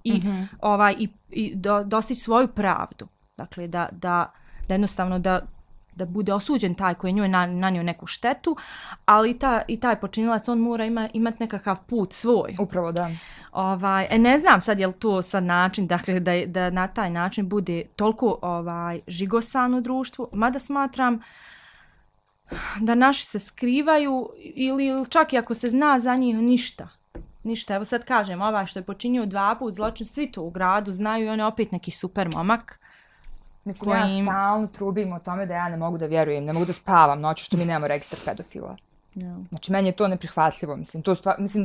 i dostići svoju pravdu. Dakle, da jednostavno da bude osuđen taj koji je njoj nanio neku štetu, ali i taj počinilac, on mora imati nekakav put svoj. Upravo, da. Ne znam sad je li to sad način, dakle, da na taj način bude toliko žigosan u društvu, mada smatram da naši se skrivaju ili čak i ako se zna za njih ništa. Evo sad kažem, što je počinio 2 puta zločin, svi to u gradu znaju i on je opet neki super momak. Mislim, ja stalno trubim o tome da ja ne mogu da vjerujem, ne mogu da spavam noću što mi nemamo registar pedofila. Znači, meni je to neprihvatljivo. Mislim da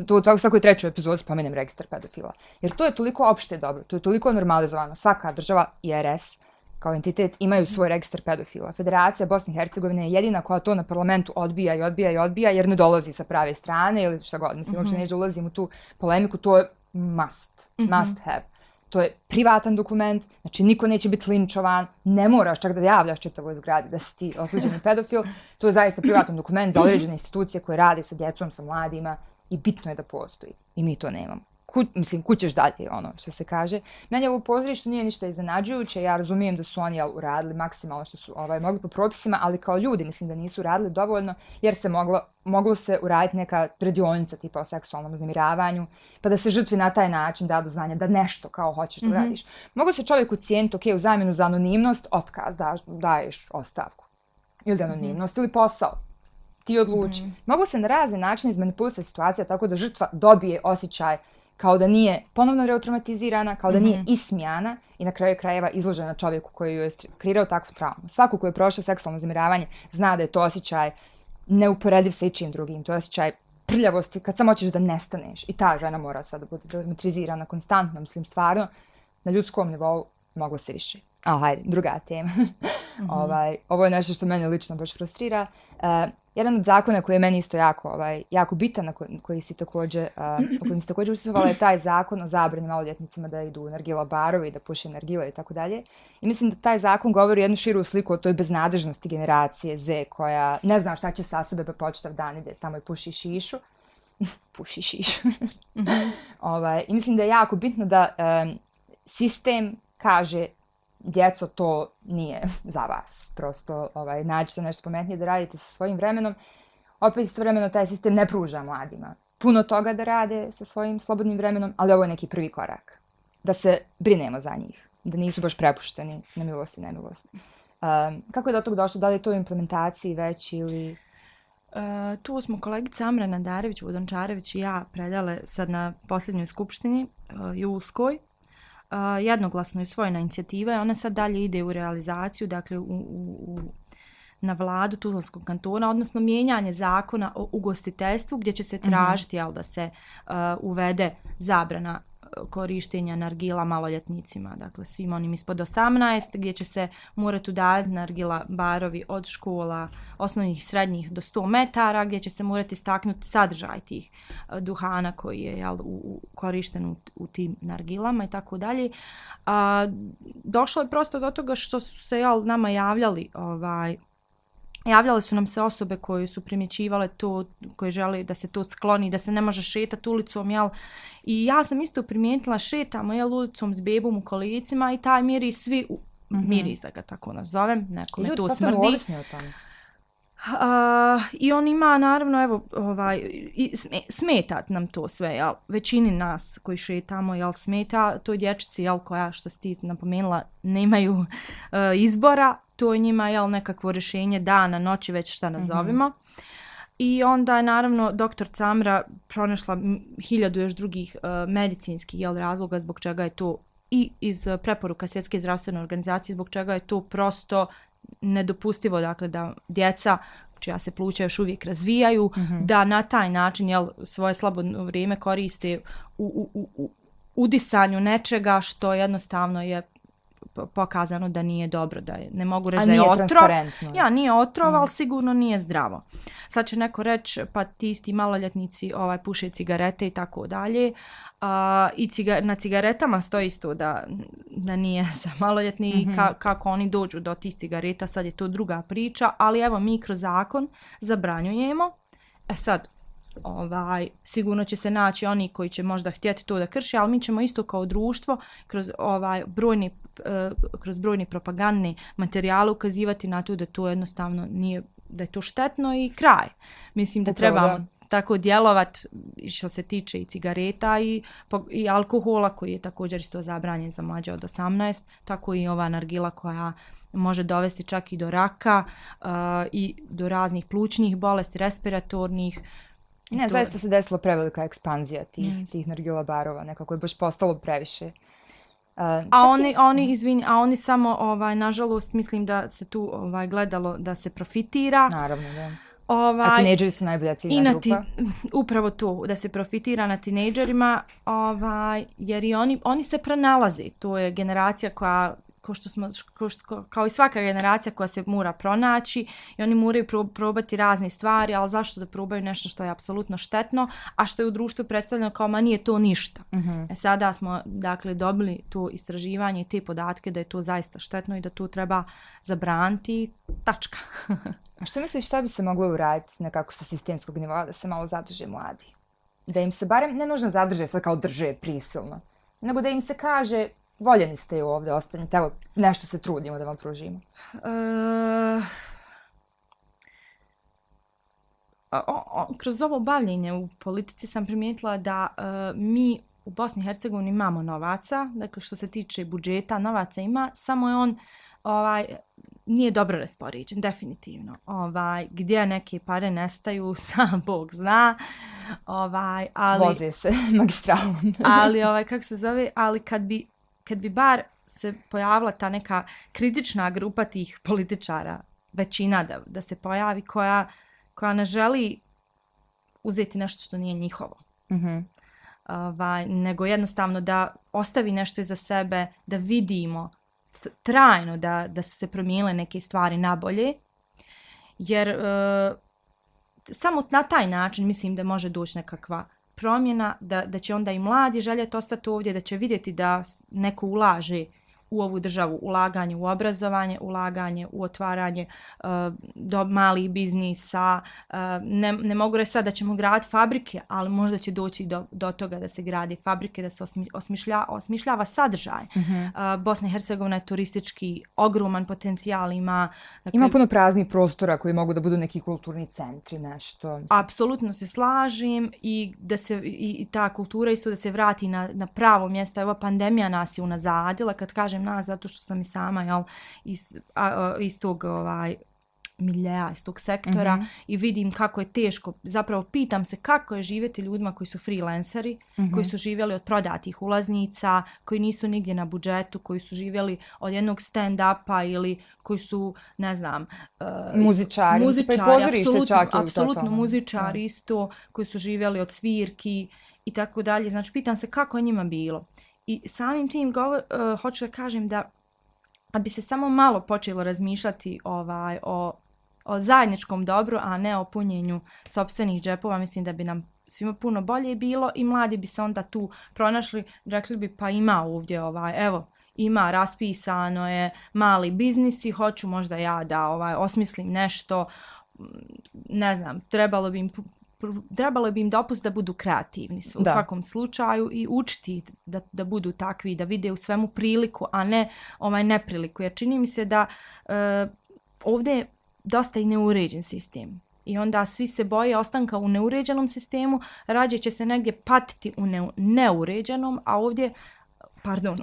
to u svakoj 3. epizodi spomenem registar pedofila. Jer to je toliko opšte dobro, to je toliko normalizovano. Svaka država i RS kao entitet imaju svoj registar pedofila. Federacija Bosne i Hercegovine je jedina koja to na parlamentu odbija jer ne dolazi sa prave strane ili šta god. Mislim, uopšte neću da ulazim u tu polemiku, to je must have. To je privatan dokument, znači niko neće biti linčovan, ne moraš čak da javljaš čitavoj zgradi da si ti osuđeni pedofil. To je zaista privatan dokument za određene institucije koje rade sa djecom, sa mladima i bitno je da postoji. I mi to nemamo. kućeš dalje, ono što se kaže. Meni ovo pozorište nije ništa iznenađujuće, ja razumijem da su oni uradili maksimalno što su mogli po propisima, ali kao ljudi mislim da nisu uradili dovoljno, jer se moglo se uraditi neka radionica tipa o seksualnom uznemiravanju, pa da se žrtvi na taj način da do znanja da nešto kao hoćeš da radiš. Mogu se čovjek ucijeniti, ok, u zamjenu za anonimnost, otkaz, daješ ostavku. Ili anonimnost, ili posao. Ti odluči. Mogu se na razne načine izmanipulisati situacija tako da žrtva dobije osjećaj kao da nije ponovno retraumatizirana, kao da nije ismijana i na kraju krajeva izložena čovjeku koji joj je kreirao takvu traumu. Svako ko je prošao seksualno uznemiravanje zna da je to osjećaj neuporediv sa ičim drugim. To je osjećaj prljavosti kad samo hoćeš da nestaneš. I ta žena mora sad da bude traumatizirana konstantno. Mislim, stvarno, na ljudskom nivou moglo se više. Hajde, druga tema. Ovo je nešto što mene lično baš frustrira. Jedan od zakona koji je meni isto jako bitan, o kojem si također učestvovala, je taj zakon o zabrani maloljetnicima da idu u nargila barove i da puše nargile i tako dalje. I mislim da taj zakon govori jednu širu sliku o toj beznadežnosti generacije Z koja ne zna šta će sa sebe pa po čitav dan ide tamo i puši šišu. Puši šišu. I mislim da je jako bitno da sistem kaže djeco, to nije za vas. Prosto nađite nešto pametnije da radite sa svojim vremenom. Opet istovremeno taj sistem ne pruža mladima puno toga da rade sa svojim slobodnim vremenom, ali ovo je neki prvi korak. Da se brinemo za njih. Da nisu baš prepušteni na milost i nemilost. Kako je do toga došlo? Da li je to u implementaciji već ili... Tu smo kolegica Amra Nadarević, Vodončarević i ja predale sad na posljednjoj skupštini julskoj. Jednoglasno je usvojena inicijativa i ona sad dalje ide u realizaciju, dakle na vladu Tuzlanskog kantona, odnosno mijenjanje zakona o ugostiteljstvu gdje će se tražiti da se uvede zabrana korištenja nargila maloljetnicima, dakle svim onim ispod 18, gdje će se morati udavati nargila barovi od škola osnovnih i srednjih do 100 metara, gdje će se morati istaknuti sadržaj tih duhana koji je korišten u tim nargilama i tako dalje. Došlo je prosto do toga što su se nama javljale su nam se osobe koje su primjećivale to, koje žele da se to skloni, da se ne može šetati ulicom, I ja sam isto primijetila, šetamo, ulicom s bebom u kolicima i taj miris svi, miris da ga tako nazovem, nekome to smrdi. Ljudi ovisni o tome. I on ima, naravno, smeta nam to sve, većini nas koji šetamo, smeta toj dječici, koja, što si ti napomenula, nemaju izbora, to je njima, nekakvo rješenje dana, noći, već šta nazovimo. I onda je, naravno, doktor Camra pronašla 1000 još drugih medicinskih razloga zbog čega je to i iz preporuka Svjetske zdravstvene organizacije, zbog čega je to prosto nedopustivo, dakle, da djeca čija se pluća još uvijek razvijaju, da na taj način svoje slobodno vrijeme koriste u udisanju nečega što jednostavno je pokazano da nije dobro, da je, ne mogu reći da je otrov. Nije otrov, ali sigurno nije zdravo. Sad će neko reći, pa ti isti maloljetnici puše cigarete i tako dalje. I na cigaretama stoji isto da nije za maloljetni i kako oni dođu do tih cigareta, sad je to druga priča, ali evo mi kroz zakon zabranjujemo. Sad, sigurno će se naći oni koji će možda htjeti to da krše, ali mi ćemo isto kao društvo kroz brojni propagandni materijale ukazivati na to da to jednostavno nije, da je to štetno i kraj. Mislim da trebamo tako djelovati što se tiče i cigareta i alkohola koji je također isto zabranjen za mlađe od 18, tako i ova nargila koja može dovesti čak i do raka i do raznih plućnih bolesti, respiratornih. Ne, zaista se desila prevelika ekspanzija tih nargila barova, nekako je baš postalo previše. Oni samo, nažalost, mislim da se tu gledalo da se profitira. Naravno, da. A tinejdžeri su najbolja ciljna grupa. Upravo to, da se profitira na tinejdžerima, jer i oni se pronalaze. To je generacija koja, kao i svaka generacija koja se mora pronaći i oni moraju probati razne stvari, ali zašto da probaju nešto što je apsolutno štetno, a što je u društvu predstavljeno kao ma nije to ništa. Sada smo, dakle, dobili to istraživanje i te podatke da je to zaista štetno i da to treba zabraniti, tačka. A što misliš šta bi se moglo uraditi nekako sa sistemskog nivoa da se malo zadrže mladi? Da im se barem, ne nužno zadrže sad kao drže prisilno, nego da im se kaže voljeni ste i ovdje, ostanite, evo, nešto se trudimo da vam pružimo. Kroz ovo bavljenje u politici sam primijetila da mi u Bosni i Hercegovini imamo novaca, dakle što se tiče budžeta, novaca ima, samo je on nije dobro raspoređen, definitivno. Gdje neke pare nestaju, sam Bog zna. Ali, voze se magistralom. ali, kako se zove, ali kad bi bar se pojavila ta neka kritična grupa tih političara, većina da se pojavi, koja ne želi uzeti nešto što nije njihovo. Mm-hmm. Nego jednostavno da ostavi nešto iza sebe, da vidimo trajno da su se promijenile neke stvari na bolje, jer samo na taj način mislim da može doći nekakva promjena, da će onda i mladi željeti ostati ovdje, da će vidjeti da neko ulaže u ovu državu, ulaganje u obrazovanje, ulaganje u otvaranje do malih biznisa. Ne mogu reći sad da ćemo graditi fabrike, ali možda će doći do toga da se gradi fabrike, da se osmišljava sadržaj. Mm-hmm. Bosna i Hercegovina je turistički ogroman potencijal, ima... Dakle, ima puno praznih prostora koji mogu da budu neki kulturni centri, nešto. Apsolutno se slažem i da se i ta kultura isto da se vrati na pravo mjesto. Evo, pandemija nas je unazadila, kad kažem nas, zato što sam i sama iz tog miljeja, iz tog sektora, mm-hmm. i vidim kako je teško. Zapravo pitam se kako je živjeti ljudima koji su freelanceri, mm-hmm. koji su živjeli od prodatih ulaznica, koji nisu nigdje na budžetu, koji su živjeli od jednog stand-upa ili koji su, ne znam... muzičari, apsolutno muzičari isto, koji su živjeli od svirki i tako dalje. Znači, pitam se kako je njima bilo. I samim tim hoću da kažem da bi se samo malo počelo razmišljati o zajedničkom dobru, a ne o punjenju sopstvenih džepova, mislim da bi nam svima puno bolje bilo i mladi bi se onda tu pronašli, rekli bi pa ima ovdje evo, ima, raspisano je mali biznis i hoću možda ja da osmislim nešto, ne znam, trebalo bi im dopust da budu kreativni u svakom slučaju i učiti da budu takvi, da vide u svemu priliku, a ne nepriliku. Jer čini mi se da ovdje je dosta i neuređen sistem. I onda svi se boje ostanka u neuređenom sistemu, rađe će se negdje patiti u neuređenom, a ovdje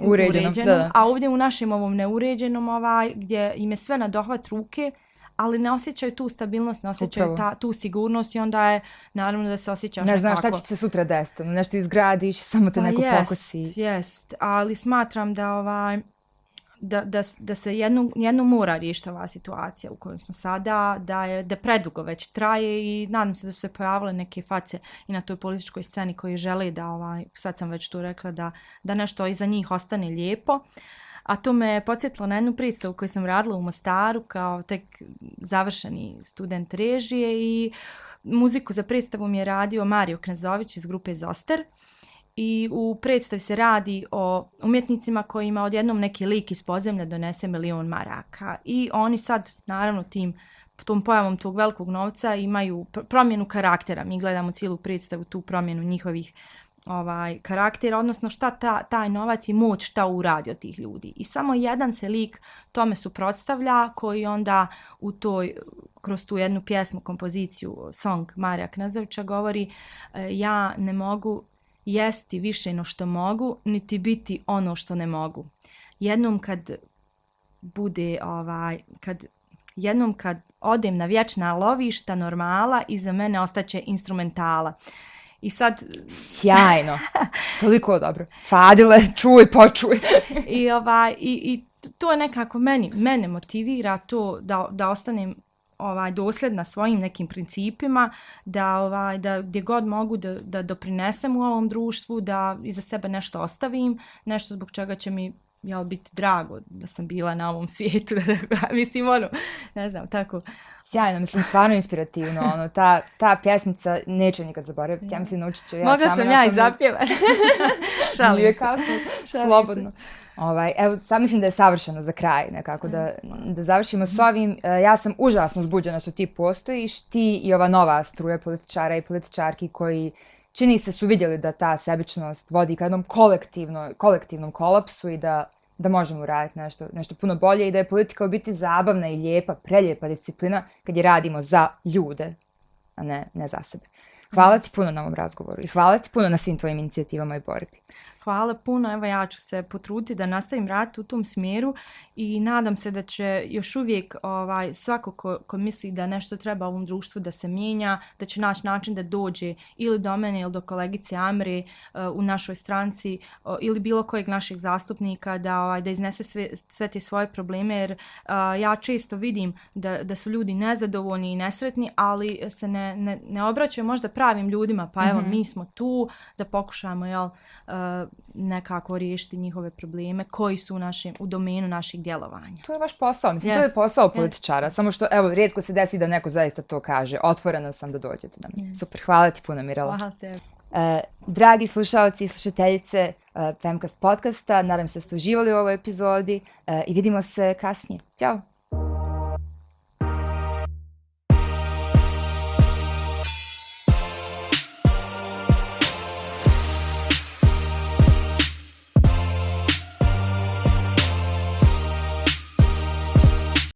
uređenom, a ovdje u našem ovom neuređenom gdje im je sve na dohvat ruke, ali ne osjećaju tu stabilnost, ne osjećaju tu sigurnost i onda je naravno da se osjećaš nekako... Ne znaš šta će se sutra desiti, nešto izgradiš, samo te neko pokosi. Jest, ali smatram da se jednu mora riješiti ova situacija u kojoj smo sada, da predugo već traje i nadam se da su se pojavile neke face i na toj političkoj sceni koji žele da, sad sam već tu rekla, da nešto iza njih ostane lijepo. A to me podsjetilo na jednu predstavu koju sam radila u Mostaru kao tek završeni student režije i muziku za predstavu mi je radio Mario Knezović iz grupe Zoster. I u predstavi se radi o umjetnicima kojima odjednom neki lik iz podzemlja donese 1 milion maraka. I oni sad, naravno, tom pojavom tog velikog novca imaju promjenu karaktera. Mi gledamo cijelu predstavu, tu promjenu njihovih karaktera, odnosno šta taj novac i moć šta uradi od tih ljudi. I samo jedan se lik tome suprotstavlja koji onda kroz tu jednu pjesmu, kompoziciju, song Marija Knezovića govori ja ne mogu jesti više no što mogu, niti biti ono što ne mogu. Jednom kad odem na vječna lovišta normala, iza mene ostaće instrumentala. I sad... Sjajno. Toliko dobro. Fadile, čuj, počuj. I to je nekako mene motivira to da ostanem dosljedna svojim nekim principima, da gdje god mogu da doprinesem u ovom društvu, da iza sebe nešto ostavim, nešto zbog čega će mi biti drago da sam bila na ovom svijetu. Mislim, ne znam, tako. Sjajno, mislim, stvarno inspirativno. Ta pjesmica neće nikad zaboraviti. Ja mislim, naučit ću ja sama. Mogla sam ja i zapjevati. Šalim se. Kasno, slobodno. Evo, sad mislim da je savršeno za kraj, nekako da završimo s ovim. Ja sam užasno uzbuđena što ti postojiš, ti i ova nova struja političara i političarki koji čini se su vidjeli da ta sebičnost vodi ka jednom kolektivnom kolapsu i da možemo uraditi nešto puno bolje i da je politika u biti zabavna i lijepa, prelijepa disciplina kad je radimo za ljude, a ne za sebe. Hvala ti puno na ovom razgovoru i hvala ti puno na svim tvojim inicijativama i borbi. Hvala puno, evo ja ću se potruditi da nastavim raditi u tom smjeru i nadam se da će još uvijek svako ko misli da nešto treba ovom društvu da se mijenja, da će naći način da dođe ili do mene ili do kolegice Amre u našoj stranci ili bilo kojeg našeg zastupnika da iznese sve te svoje probleme, jer ja često vidim da su ljudi nezadovoljni i nesretni, ali se ne obraćaju možda pravim ljudima, pa evo mi smo tu da pokušamo nekako riješiti njihove probleme koji su u domenu našeg djelovanja. To je vaš posao, mislim, to je posao političara, samo što, evo, rijetko se desi da neko zaista to kaže. Otvorena sam da dođete na me. Super, hvala ti puno, Mirela. Hvala tebi. Dragi slušalci i slušateljice Femcast podcasta, nadam se da ste uživali u ovoj epizodi i vidimo se kasnije. Ćao!